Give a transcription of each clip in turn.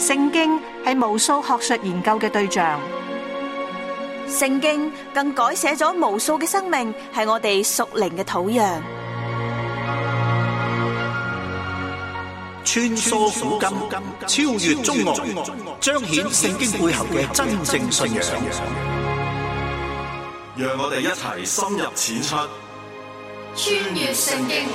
聖經係無數學術研究嘅對象，聖經更改寫咗無數嘅生命，係我哋屬靈嘅土壤。穿梭古今，超越中外，彰顯聖經背後嘅真正信仰。讓我哋一齊深入淺出，穿越聖經。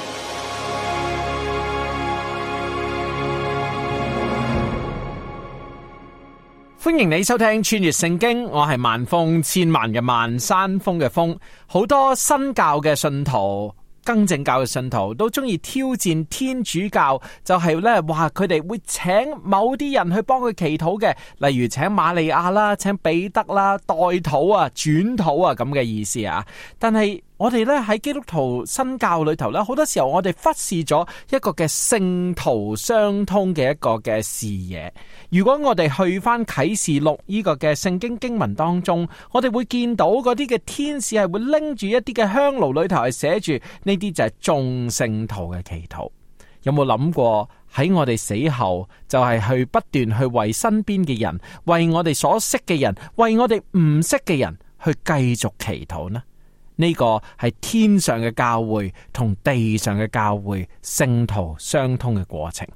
歡迎你收聽穿越聖經，我係萬峰，千萬嘅萬，山峰嘅峰。好多新教嘅信徒、更正教嘅信徒都中意挑戰天主教，就係咧話佢哋會請某啲人去幫佢祈禱嘅，例如請瑪利亞啦、請彼得啦、代禱啊、轉禱啊咁嘅意思啊。但係我哋咧喺基督徒新教裏頭咧，好多時候我哋忽視咗一個嘅聖徒相通嘅一個嘅視野。如果我哋去翻啟示錄呢個嘅聖經經文當中，我哋會見到嗰啲嘅天使係會拎住一啲嘅香爐裏頭係寫住呢啲就係眾聖徒嘅祈禱。有冇諗過喺我哋死後就係去不斷去為身邊嘅人，為我哋所識嘅人，為我哋唔識嘅人去繼續祈禱呢？呢個係天上嘅教會同地上嘅教會聖徒相通嘅過程。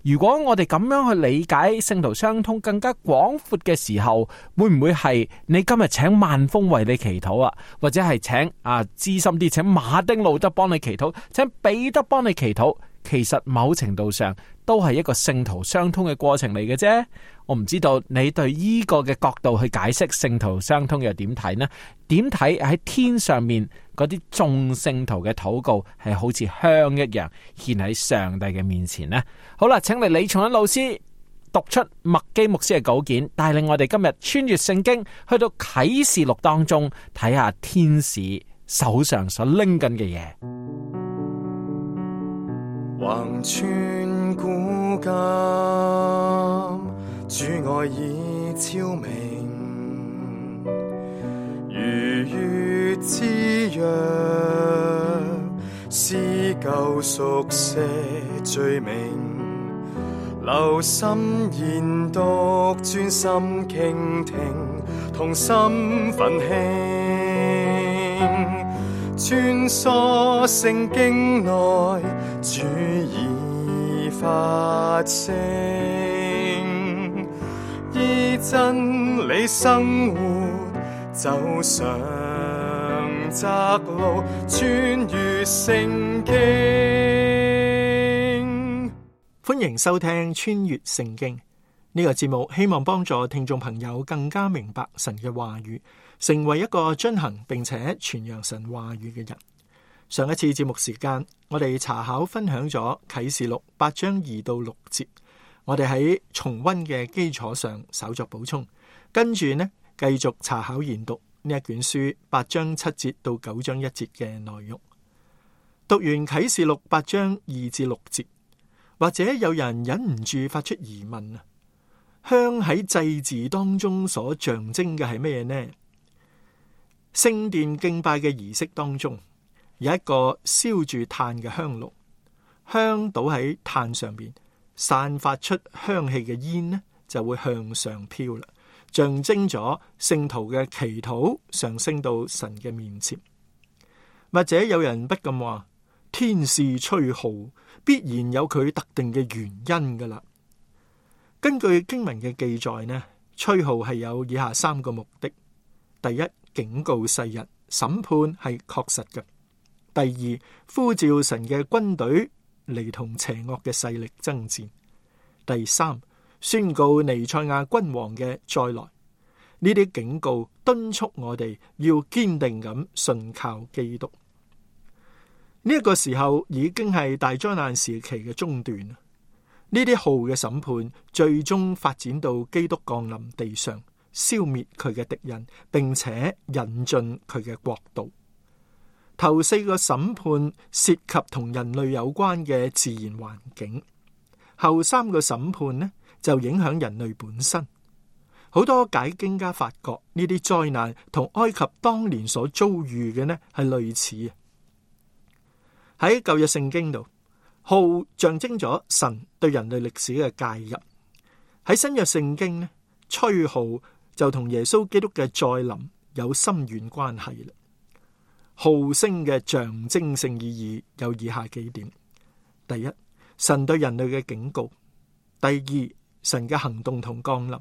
如果我哋咁樣去理解聖徒相通更加廣闊嘅時候，會唔會係你今日請萬峰為你祈禱啊？或者係請資深啲請馬丁路德幫你祈禱，請彼得幫你祈禱？其實某程度上都係一個聖徒相通嘅過程嚟嘅啫。我唔知道你對呢個嘅角度去解釋聖徒相通又點睇呢？點睇喺天上面嗰啲眾聖徒嘅禱告係好似香一樣獻喺上帝嘅面前呢？好啦，請嚟李松恩老師讀出麥基牧師嘅稿件，帶領我哋今日穿越聖經，去到啟示錄當中睇下天使手上所拎緊嘅嘢。橫穿古今，主愛已超明，如月之約，撕舊熟寫罪名，留心研讀，專心傾聽，同心奮興，穿梭聖經內，主已發聲，依真理生活，走上窄路，穿越聖經。歡迎收聽穿越聖經呢個節目，希望幫助聽眾朋友更加明白神嘅話語，成為一個遵行並且傳揚神話語嘅人。上一次節目時間，我哋查考分享咗啟示錄8章2到6節，我哋喺重溫嘅基礎上稍作補充，跟住呢繼續查考研讀呢一卷書8章7節到9章1節嘅內容。讀完啟示錄8章2至6節，或者有人忍唔住發出疑問啊，香喺祭祀當中所象徵嘅係咩呢？聖殿敬拜嘅儀式當中，有一個燒住炭嘅香爐，香倒喺炭上邊，散發出香氣嘅煙呢，就會向上飄啦，象徵咗聖徒嘅祈禱上升到神嘅面前。或者有人不禁話，天使吹號必然有佢特定嘅原因噶啦。根據經文嘅記載呢，吹號係有以下3個目的：第一，警告世人，審判係確實嘅；第二，呼召神嘅軍隊嚟同邪惡嘅勢力爭戰；第三，宣告彌賽亞君王嘅再來。呢啲警告敦促我哋要堅定咁信靠基督。呢一個時候已經係大災難時期嘅中段。呢啲號嘅審判最終發展到基督降臨地上，消滅佢嘅敵人，並且引進佢嘅國度。頭4個審判涉及同人類有關嘅自然環境，後3個審判呢就影響人類本身。好多解經家發覺呢啲災難同埃及當年所遭遇嘅呢係類似。喺舊約聖經度，號象徵咗神對人類歷史嘅介入。喺新約聖經呢，吹號就同耶穌基督嘅再臨有深遠關係啦。號聲嘅象徵性意義有以下幾點：第一，神對人類嘅警告；第二，神嘅行動同降臨；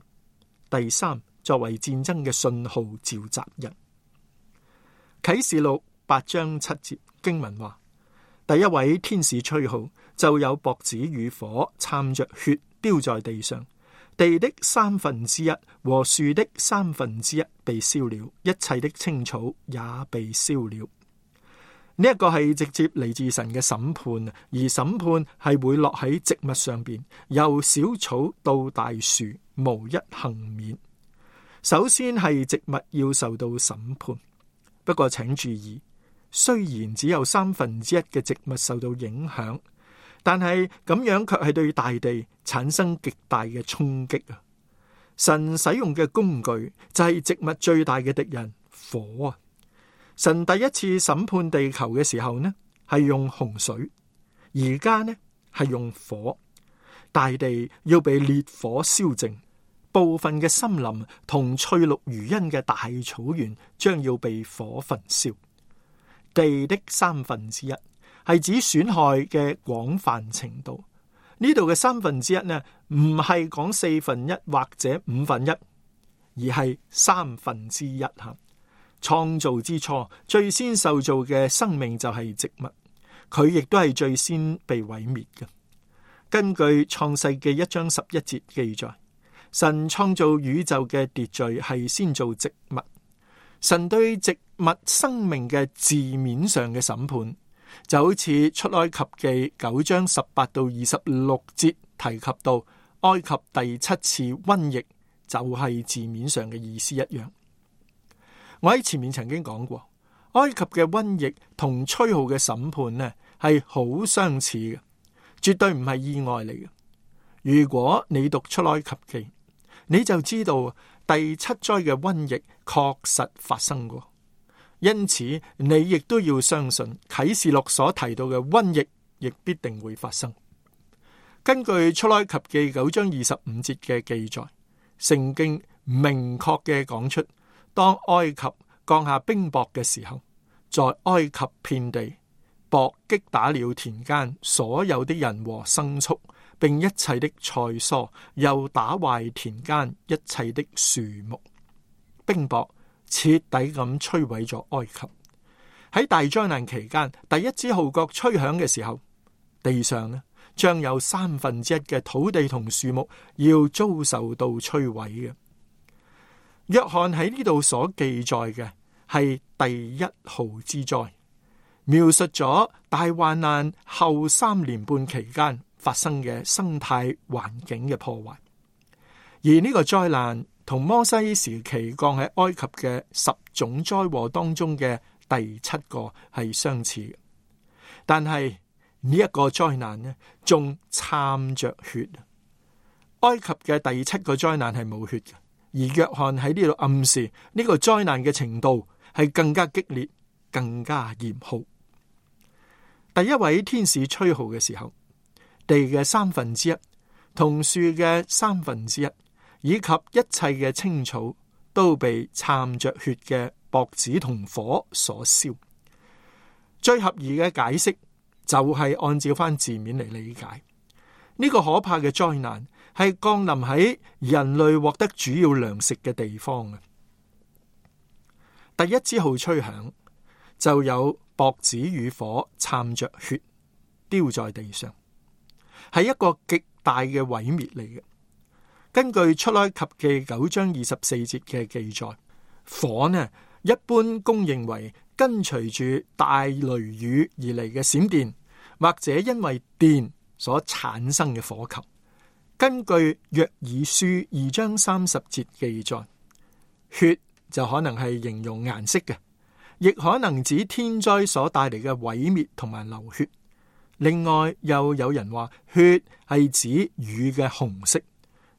第三，作為戰爭嘅信號召集人。啟示錄8章7節經文話：第一位天使吹號，就有雹子與火摻着血丟在地上，地的1/3和樹的1/3被燒了，一切的青草也被燒了。呢一個係直接嚟自神嘅審判，而審判係會落喺植物上邊，由小草到大樹，無一幸免。首先係植物要受到審判，不過請注意，雖然只有1/3嘅植物受到影響，但係咁樣卻係對大地產生極大嘅衝擊啊！神使用嘅工具就係植物最大嘅敵人火啊！神第一次審判地球嘅時候呢，係用洪水，而家呢係用火，大地要被烈火燒淨，部分嘅森林同翠綠如茵嘅大草原將要被火焚燒。地的1/3係指損害嘅廣泛程度，呢度嘅1/3呢，唔係講1/4或者1/5，而係1/3吓。創造之初，最先受造嘅生命就係植物，佢亦都係最先被毀滅嘅。根據創世記1章11節記載，神創造宇宙嘅秩序係先造植物。神對植物生命嘅字面上嘅審判，就好似出埃及記9章18到26節提及到埃及第7次瘟疫，就係字面上嘅意思一樣。我喺前面曾經講過，埃及嘅瘟疫同吹號嘅審判呢係好相似嘅，絕對唔係意外嚟嘅。如果你讀出埃及記，你就知道第7災嘅瘟疫確實發生過，因此你亦都要相信啟示錄所提到嘅瘟疫亦必定會發生。根據出埃及記9章25節嘅記載，聖經明確嘅講出，當埃及降下冰雹嘅時候，在埃及遍地，雹擊打了田間所有的人和牲畜，並一切的菜蔬，又打壞田間一切的樹木。冰雹徹底咁摧毀咗埃及。喺大災難期間，第一支號角吹響嘅時候，地上呢將有1/3嘅土地同樹木要遭受到摧毀嘅。約翰喺呢度所記載嘅係第1號之災，描述咗大患難後3年半期間發生嘅生態環境嘅破壞。而呢個災難同摩西時期降喺埃及嘅10種災禍當中嘅第7個係相似嘅，但係呢一個災難呢仲摻着血。埃及嘅第7個災難係冇血嘅。而約翰喺呢度暗示呢個災難嘅程度係更加激烈、更加嚴酷。第一位天使吹號嘅時候，地嘅1/3同樹嘅1/3，以及一切嘅青草都被摻着血嘅雹子同火所燒。最合宜嘅解釋就係按照翻字面嚟理解，呢個可怕嘅災難係降臨喺人類獲得主要糧食嘅地方嘅。第一支號吹響，就有雹子與火摻着血丟在地上，係一個極大嘅毀滅嚟嘅。根據出埃及記9章24節嘅記載，火呢一般公認為跟隨住大雷雨而嚟嘅閃電，或者因為電所產生嘅火球。根據約珥書2章30節記載，血就可能係形容顏色嘅，亦可能指天災所帶嚟嘅毀滅同埋流血。另外又有人話血係指雨嘅紅色，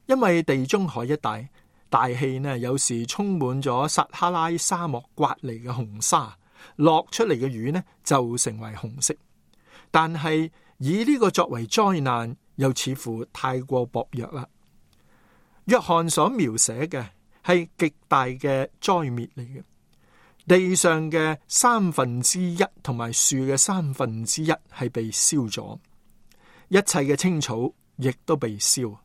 因為地中海一帶大氣呢有時充滿咗撒哈拉沙漠刮嚟嘅紅沙，落出嚟嘅雨呢就成為紅色。但係以呢個作為災難，又似乎太過薄弱啦。約翰所描寫嘅係極大嘅災滅嚟嘅，地上嘅1/3同埋樹嘅1/3係被燒咗，一切嘅青草亦都被燒。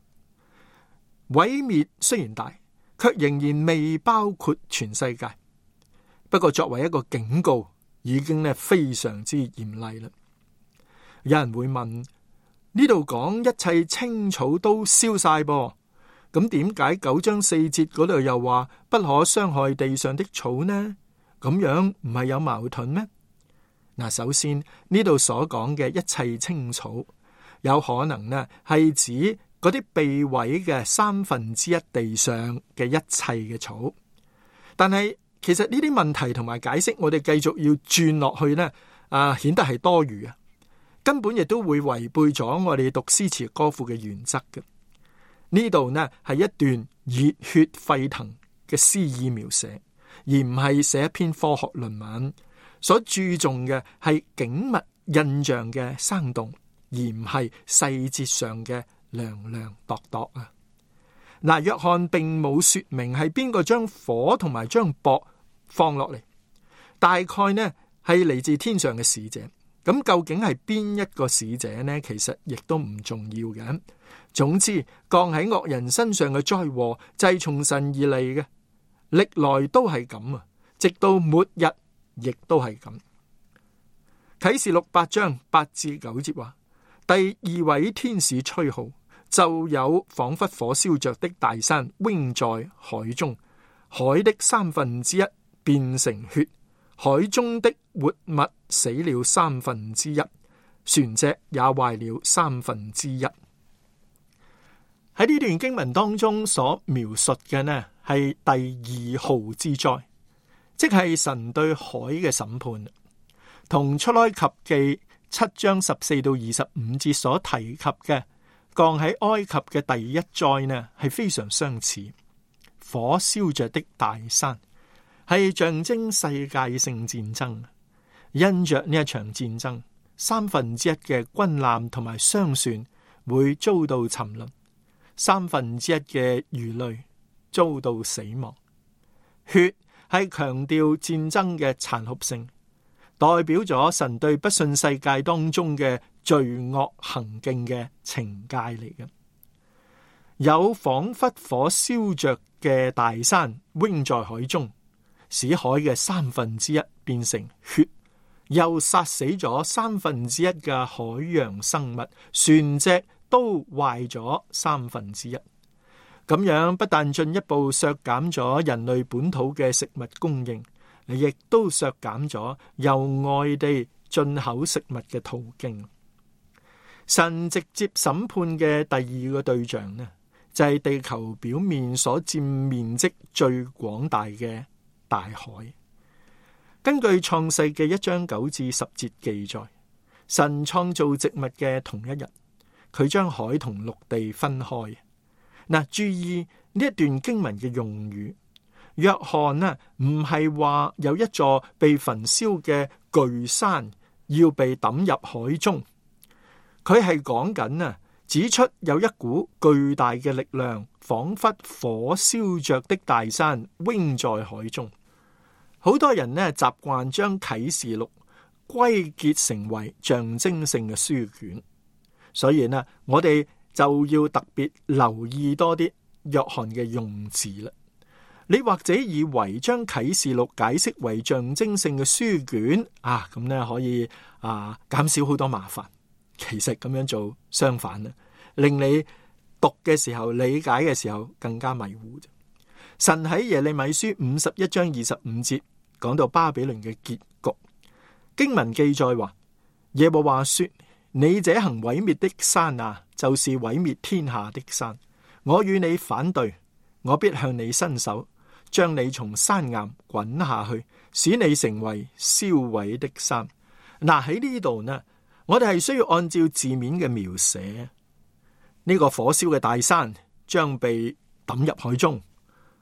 毀滅雖然大，卻仍然未包括全世界。不過作為一個警告，已經非常之嚴厲啦。有人會問，呢度講一切青草都燒晒噃，咁點解9章4節嗰度又話不可傷害地上的草呢？咁樣唔係有矛盾咩？嗱，首先呢度所講嘅一切青草，有可能呢係指嗰啲被毀嘅1/3地上嘅一切嘅草，但係其實呢啲問題同埋解釋，我哋繼續要轉落去呢，顯得係多餘啊，根本亦都會違背咗我哋讀詩詞歌賦嘅原則嘅。呢度呢係一段熱血沸騰嘅詩意描寫，而唔係寫一篇科學論文。所注重嘅係景物印象嘅生動，而唔係細節上嘅量量度度啊。嗱，約翰並冇說明係邊個將火同埋將雹放落嚟，大概呢係嚟自天上嘅使者。咁究竟係邊一個使者呢？其實亦都唔重要嘅。總之，降喺惡人身上嘅災禍就係從神而嚟嘅，歷來都係咁啊，直到末日亦都係咁。啟示錄8章8至9節話，第2位天使吹號，就有仿佛火燒着的大山扔在海中，海的1/3變成血，海中的活物死了1/3，船隻也壞了1/3。喺呢段經文當中所描述嘅呢，係第2號之災，即係神對海嘅審判，同出埃及記7章14到25節所提及嘅降喺埃及嘅第1災呢，係非常相似。火燒着的大山係象徵世界性戰爭，因着呢一場戰爭，1/3嘅軍艦同埋商船會遭到沉淪，1/3嘅魚類遭到死亡。血係強調戰爭嘅殘酷性，代表咗神對不信世界當中嘅罪惡行徑嘅懲戒嚟嘅。有仿佛火燒着嘅大山扔在海中，使海嘅1/3變成血，又殺死咗1/3嘅海洋生物，船隻都壞咗1/3。咁樣不但進一步削減咗人類本土嘅食物供應，亦都削減咗由外地進口食物嘅途徑。神直接審判嘅第2個對象呢，就係地球表面所佔面積最廣大嘅大海。根據創世記1章9至10節記載，神創造植物嘅同一日，佢將海同陸地分開。嗱，注意呢一段經文嘅用語，約翰呢唔係話有一座被焚燒嘅巨山要被抌入海中，佢係講緊啊，指出有一股巨大嘅力量，仿佛火燒着的大山扔在海中。好多人呢習慣將啟示錄歸結成為象徵性嘅書卷，所以呢我哋就要特別留意多啲約翰嘅用字啦。你或者以為將啟示錄解釋為象徵性嘅書卷啊，咁呢可以減少好多麻煩。其實咁樣做相反啦，令你讀嘅時候、理解嘅時候更加迷糊。神喺耶利米書51章25節講到巴比倫嘅結局，經文記載話，耶和華說，你這行毀滅的山啊，就是毀滅天下的山，我與你反對，我必向你伸手，將你從山岩滾下去，使你成為燒毀的山。嗱，喺呢度呢，我哋係需要按照字面嘅描寫，呢個火燒嘅大山將被抌入海中，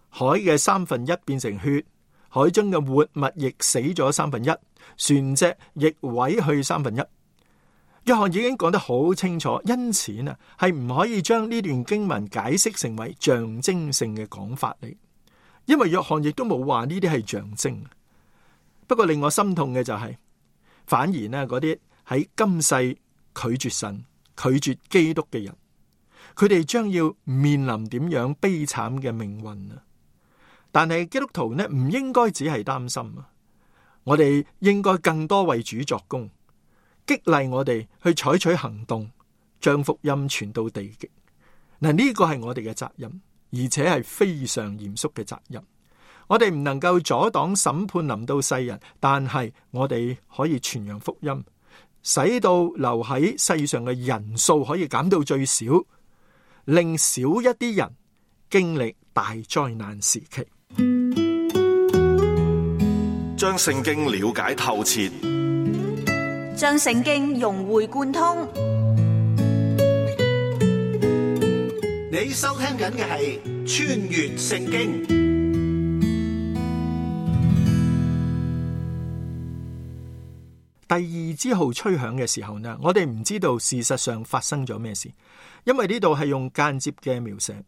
海嘅1/3變成血，海中嘅活物亦死咗1/3，船隻亦毀去1/3。約翰已經講得好清楚，因此啊，係唔可以將呢段經文解釋成為象徵性嘅講法嚟，因為約翰亦都冇話呢啲係象徵。不過令我心痛嘅就係，反而呢嗰啲喺今世拒絕神、拒絕基督嘅人，佢哋將要面臨點樣悲慘嘅命運啊！但係基督徒呢，唔應該只係擔心啊，我哋應該更多為主作工，激勵我哋去採取行動，將福音傳到地極。嗱，呢個係我哋嘅責任，而且係非常嚴肅嘅責任。我哋唔能夠阻擋審判臨到世人，但係我哋可以傳揚福音，使到留喺世上嘅人數可以減到最少，令少一啲人經歷大災難時期。將聖經了解透徹，將聖經融會貫通。你收聽緊嘅係穿越聖經。第二支號吹響嘅時候呢，我哋唔知道事實上發生咗咩事，因為呢度係用間接嘅描寫，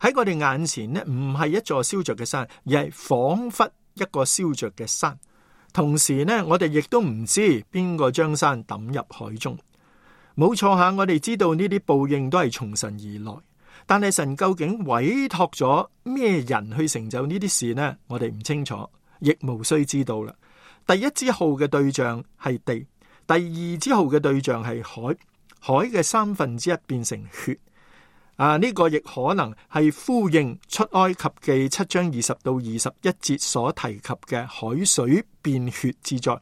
喺我哋眼前呢，唔係一座燒着嘅山，而係仿佛一個燒着嘅山。同時呢，我哋亦都唔知邊個將山抌入海中。冇錯下，我哋知道呢啲報應都係從神而來，但係神究竟委託咗咩人去成就呢啲事呢？我哋唔清楚，亦無需知道啦。第一支號嘅對象係地，第二支號嘅對象係海，海嘅1/3變成血。呢個亦可能係呼應出埃及記7章20到21節所提及嘅海水變血之災。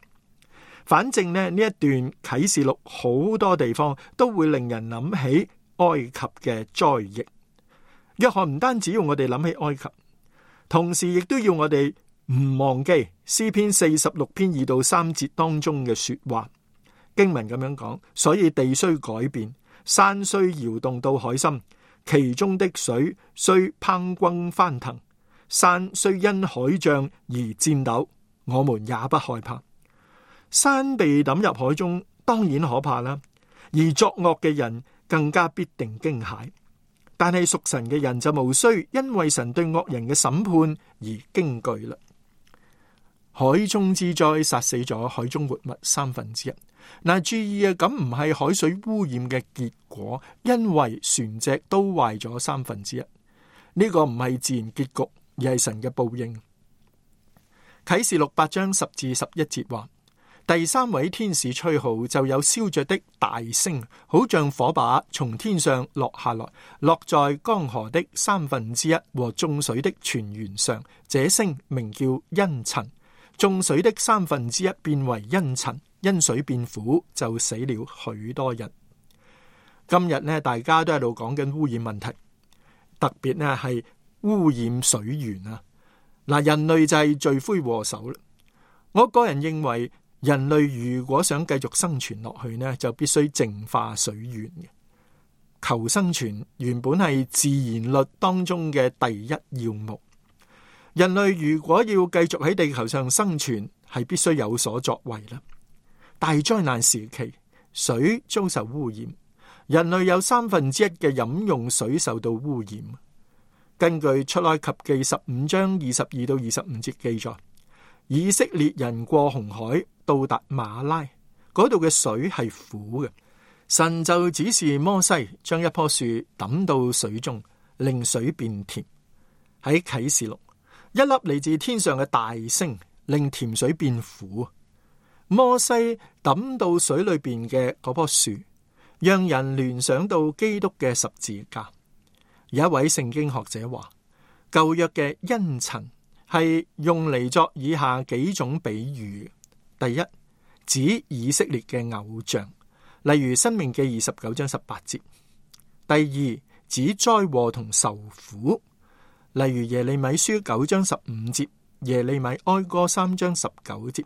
反正呢一段啟示錄好多地方都會令人諗起埃及嘅災疫。約翰唔單止要我哋諗起埃及，同時亦都要我哋唔忘記詩篇46篇2到3節當中嘅說話。經文咁樣講，所以地雖改變，山雖搖動到海心，其中的水雖匉訇翻騰，山雖因海漲而顫抖，我們也不害怕。山被抌入海中，當然可怕啦，而作惡嘅人更加必定驚駭。但係屬神嘅人就無需因為神對惡人嘅審判而驚懼啦。海中之災殺死咗海中活物1/3。注意啊，咁唔係海水污染嘅結果，因為船隻都壞咗1/3。呢個唔係自然結局，而係神嘅報應。啟示錄8章10至11節話，第3位天使吹號，就有燒着的大星，好像火把從天上落下來，落在江河的1/3和眾水的泉源上。這星名叫茵蔯，眾水的1/3變為茵蔯，因水變苦，就死了許多人。今日呢，大家都喺度講緊污染問題，特別呢係污染水源啊！人類就係罪魁禍首啦。我個人認為，人類如果想繼續生存落去呢，就必須淨化水源嘅。求生存原本係自然律當中嘅第一要務。人類如果要繼續喺地球上生存，係必須有所作為啦。大災難時期，水遭受污染，人類有1/3嘅飲用水受到污染。根據出埃及記15章22到25節記載，以色列人過紅海到達馬拉，嗰度嘅水係苦嘅，神就指示摩西將一棵樹抌到水中，令水變甜。喺啟示錄，一粒嚟自天上嘅大星令甜水變苦。摩西抌到水裏邊嘅嗰棵樹，讓人聯想到基督嘅十字架。有一位聖經學者話，舊約嘅茵蔯係用嚟作以下幾種比喻。第一，指以色列嘅偶像，例如申命記29章18節。第二，指災禍同受苦，例如耶利米書9章15節，耶利米哀歌3章19節。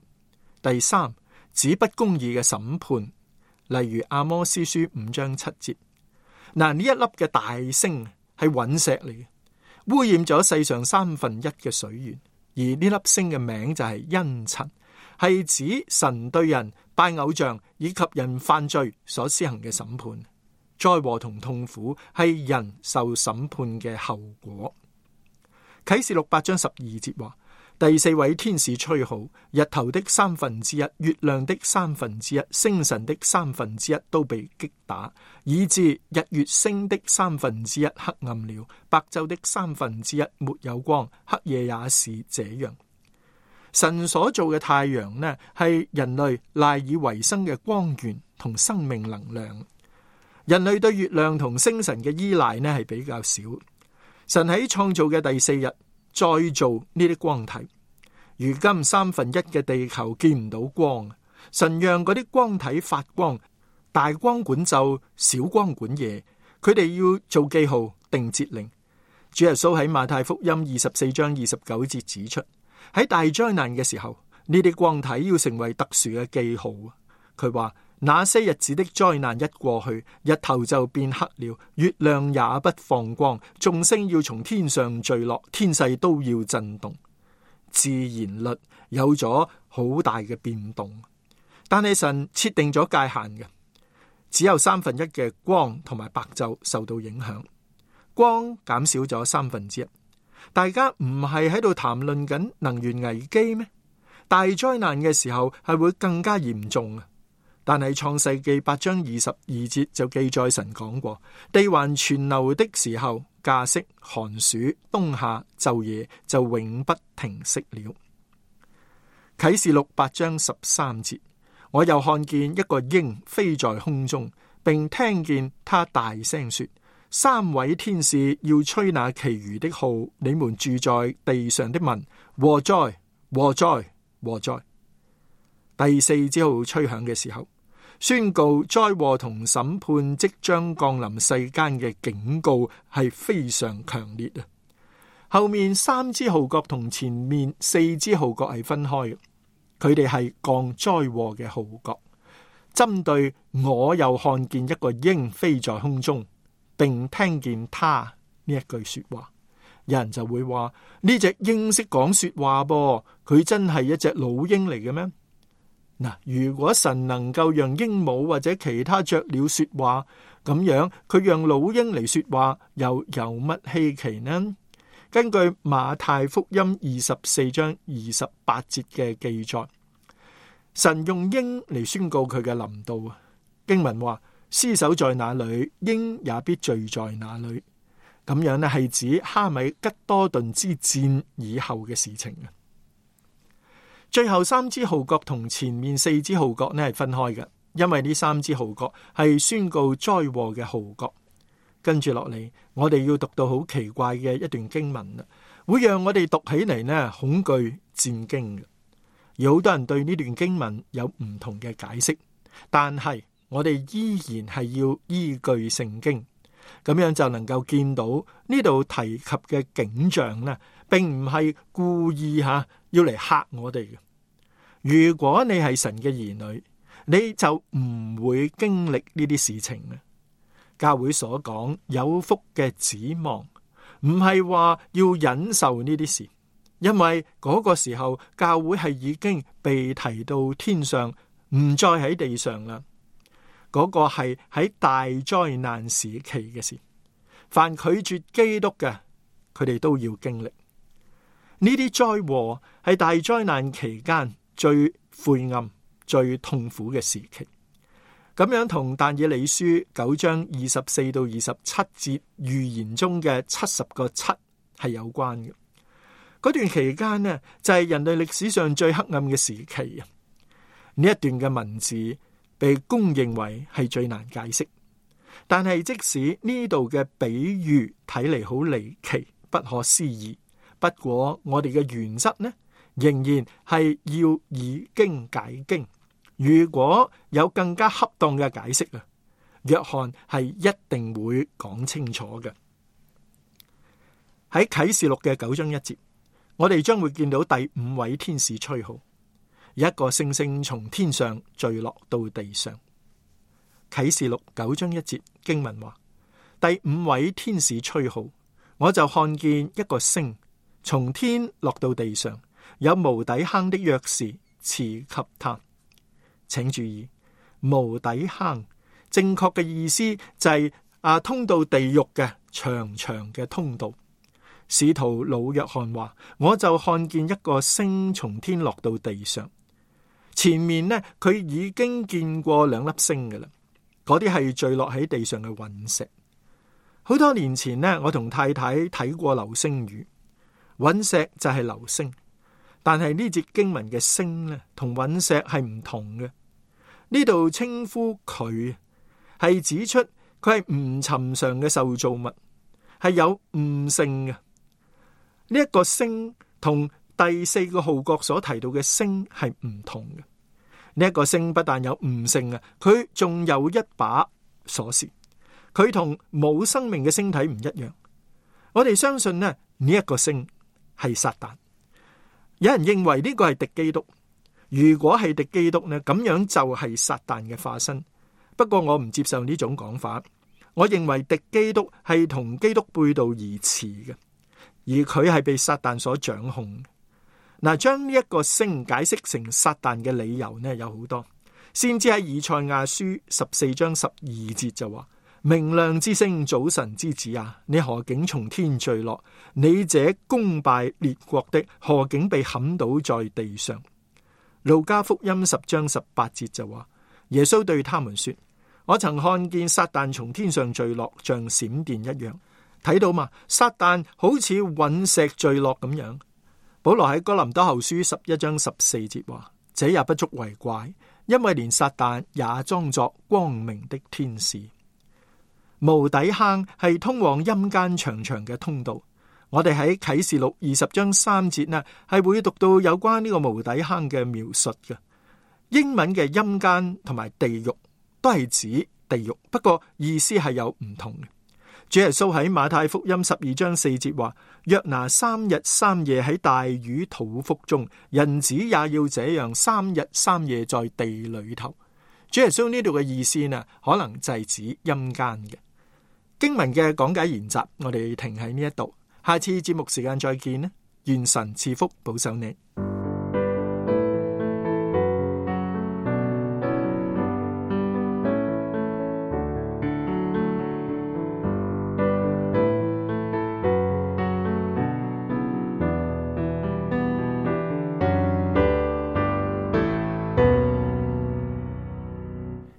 第三，指不公義嘅審判，例如阿摩司書5章7節。呢一粒嘅大星係隕石嚟嘅，污染咗世上1/3嘅水源，而呢粒星嘅名就係茵蔯，係指神對人拜偶像以及人犯罪所施行嘅審判。災禍同痛苦係人受審判嘅後果。啟示錄8章12節話，第四位天使吹號，日頭的1/3，月亮的1/3，星辰的1/3都被擊打，以致日月星的1/3黑暗了，白晝的1/3沒有光，黑夜也是這樣。神所做嘅太陽呢，係人類賴以為生嘅光源同生命能量。人類對月亮同星辰嘅依賴呢，係比較少。神喺創造嘅第4日再造呢啲光體。如今1/3嘅地球見唔到光，神讓嗰啲光體發光，大光管晝，小光管夜。佢哋要做記號，定節令。主耶穌喺馬太福音24章29節指出，喺大災難嘅時候，呢啲光體要成為特殊嘅記號。佢話，那些日子的災難一過去，日頭就變黑了，月亮也不放光，眾星要從天上墜落，天勢都要震動。自然律有咗好大嘅變動，但係神設定咗界限嘅，只有1/3嘅光同埋白晝受到影響，光減少咗1/3。大家唔係喺度談論緊能源危機咩？大災難嘅時候係會更加嚴重啊！但係創世記8章22節就記載神講過，地還存留的時候，稼穡、寒暑、冬夏、晝夜就永不停息了。啟示錄8章13節，我又看見一個鷹飛在空中，並聽見他大聲說，3位天使要吹那其餘的號，你們住在地上的民，禍哉禍哉禍哉！第4支號吹響嘅時候，宣告災禍同審判即將降臨世間嘅警告係非常強烈啊！後面3支號角同前面4支號角係分開嘅，佢哋係降災禍嘅號角，針對我又看見一個鷹飛在空中，並聽見他呢一句說話。有人就會話，呢隻鷹識講說話噃，佢真係一隻老鷹嚟嘅咩？嗱，如果神能夠讓鸚鵡或者其他雀鳥說話，咁樣佢讓老鷹嚟說話，又有乜稀奇呢？根據馬太福音24章28節嘅記載，神用鷹嚟宣告佢嘅臨到。經文話，屍首在那裏，鷹也必聚在那裏。咁樣呢，係指哈米吉多頓之戰以後嘅事情。最後3支號角同前面4支號角呢係分開嘅，因為呢3支號角係宣告災禍嘅號角。跟住落嚟，我哋要讀到好奇怪嘅一段經文啦，會讓我哋讀起嚟呢恐懼戰驚嘅。有好多人對呢段經文有唔同嘅解釋，但係我哋依然係要依據聖經，咁樣就能夠見到呢度提及嘅景象呢，並唔係故意要嚟嚇我哋嘅。如果你係神嘅兒女，你就唔會經歷呢啲事情嘅。教會所講有福嘅指望，唔係話要忍受呢啲事，因為嗰個時候教會係已經被提到天上，唔再喺地上啦。嗰個係喺大災難時期嘅事，凡拒絕基督嘅，佢哋都要經歷呢啲災禍，係大災難期間最晦暗、最痛苦嘅時期。咁樣同但以理書9章24到27節預言中嘅70個7係有關嘅。嗰段期間呢，就係人類歷史上最黑暗嘅時期啊！呢一段嘅文字被公認為係最難解釋，但係即使呢度嘅比喻睇嚟好離奇、不可思議，不過我哋嘅原則呢，仍然係要以經解經。如果有更加恰當嘅解釋啊，約翰係一定會講清楚嘅。喺啟示錄嘅9章1節，我哋將會見到第5位天使吹號，一個星星從天上墜落到地上。啟示錄9章1節經文話，第5位天使吹號，我就看見一個星從天落到地上，有無底坑的鑰匙賜給他。請注意，無底坑，正確嘅意思就係通到地獄嘅長長嘅通道。使徒老約翰話，我就看見一個星從天落到地上。前面呢，佢已經見過兩粒星嘅啦，嗰啲係墜落喺地上嘅隕石。好多年前呢，我同太太睇過流星雨，隕石就係流星，但係呢節經文嘅星呢，同隕石係唔同嘅。呢度稱呼佢係指出佢係唔尋常嘅受造物，係有悟性嘅。呢一個星同第四個號角所提到嘅星係唔同嘅。呢一個星不但有悟性啊，佢仲有一把鎖匙。佢同冇生命嘅星體唔一樣。我哋相信呢一個星係撒旦。有人認為呢個係敵基督。如果係敵基督呢，咁樣就係撒旦嘅化身。不過我唔接受呢種講法。我認為敵基督係同基督背道而馳嘅。而佢係被撒旦所掌控。嗱，將呢一個星解釋成撒旦嘅理由呢，有好多。先知喺以賽亞書14章12節就話：明亮之星，早晨之子啊，你何竟從天墜落？你這攻敗列國的，何竟被砍倒在地上？路加福音10章18節就話：耶穌對他們說：我曾看見撒旦從天上墜落，像閃電一樣。睇到嘛？撒旦好似隕石墜落咁樣。保羅喺哥林多後書11章14節話：這也不足為怪，因為連撒旦也裝作光明的天使。無底坑係通往陰間長長嘅通道。我哋喺啟示錄20章3節呢，係會讀到有關呢個無底坑嘅描述嘅。英文嘅陰間同埋地獄都係指地獄，不過意思係有唔同嘅。主耶穌喺馬太福音12章4節話：約拿3日3夜喺大魚肚腹中，人子也要這樣3日3夜在地裏頭。主耶穌呢度嘅意思呢，可能就係指陰間嘅。經文嘅講解研習，我哋停喺呢一度，下次節目時間再見啦，願神賜福保守你。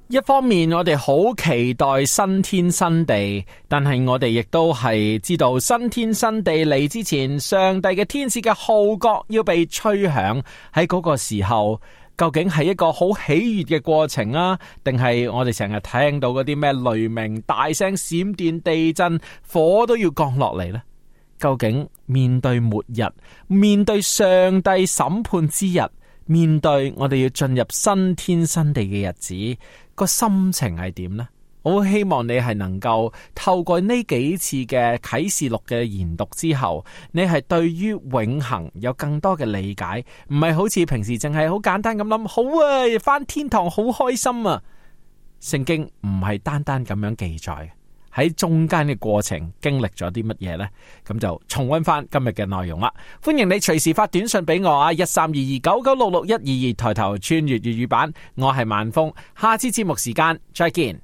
一方面我哋好期待新天新地，但係我哋亦都係知道新天新地嚟之前，上帝嘅天使嘅號角要被吹響。喺嗰個時候，究竟係一個好喜悅嘅過程啊，定係我哋成日聽到嗰啲咩雷鳴、大聲、閃電、地震、火都要降落嚟呢？究竟面對末日，面對上帝審判之日，面對我哋要進入新天新地嘅日子，個心情係點呢？我好希望你係能夠透過呢幾次嘅啟示錄嘅研讀之後，你係對於永恆有更多嘅理解，唔係好似平時淨係好簡單咁諗，好啊，返天堂好開心啊！聖經唔係單單咁樣記載，喺中間嘅過程經歷咗啲乜嘢呢？咁就重溫翻今日嘅內容啦。歡迎你隨時發短信俾我啊！132299666122抬頭穿越粵語版，我係萬峰，下次節目時間再見。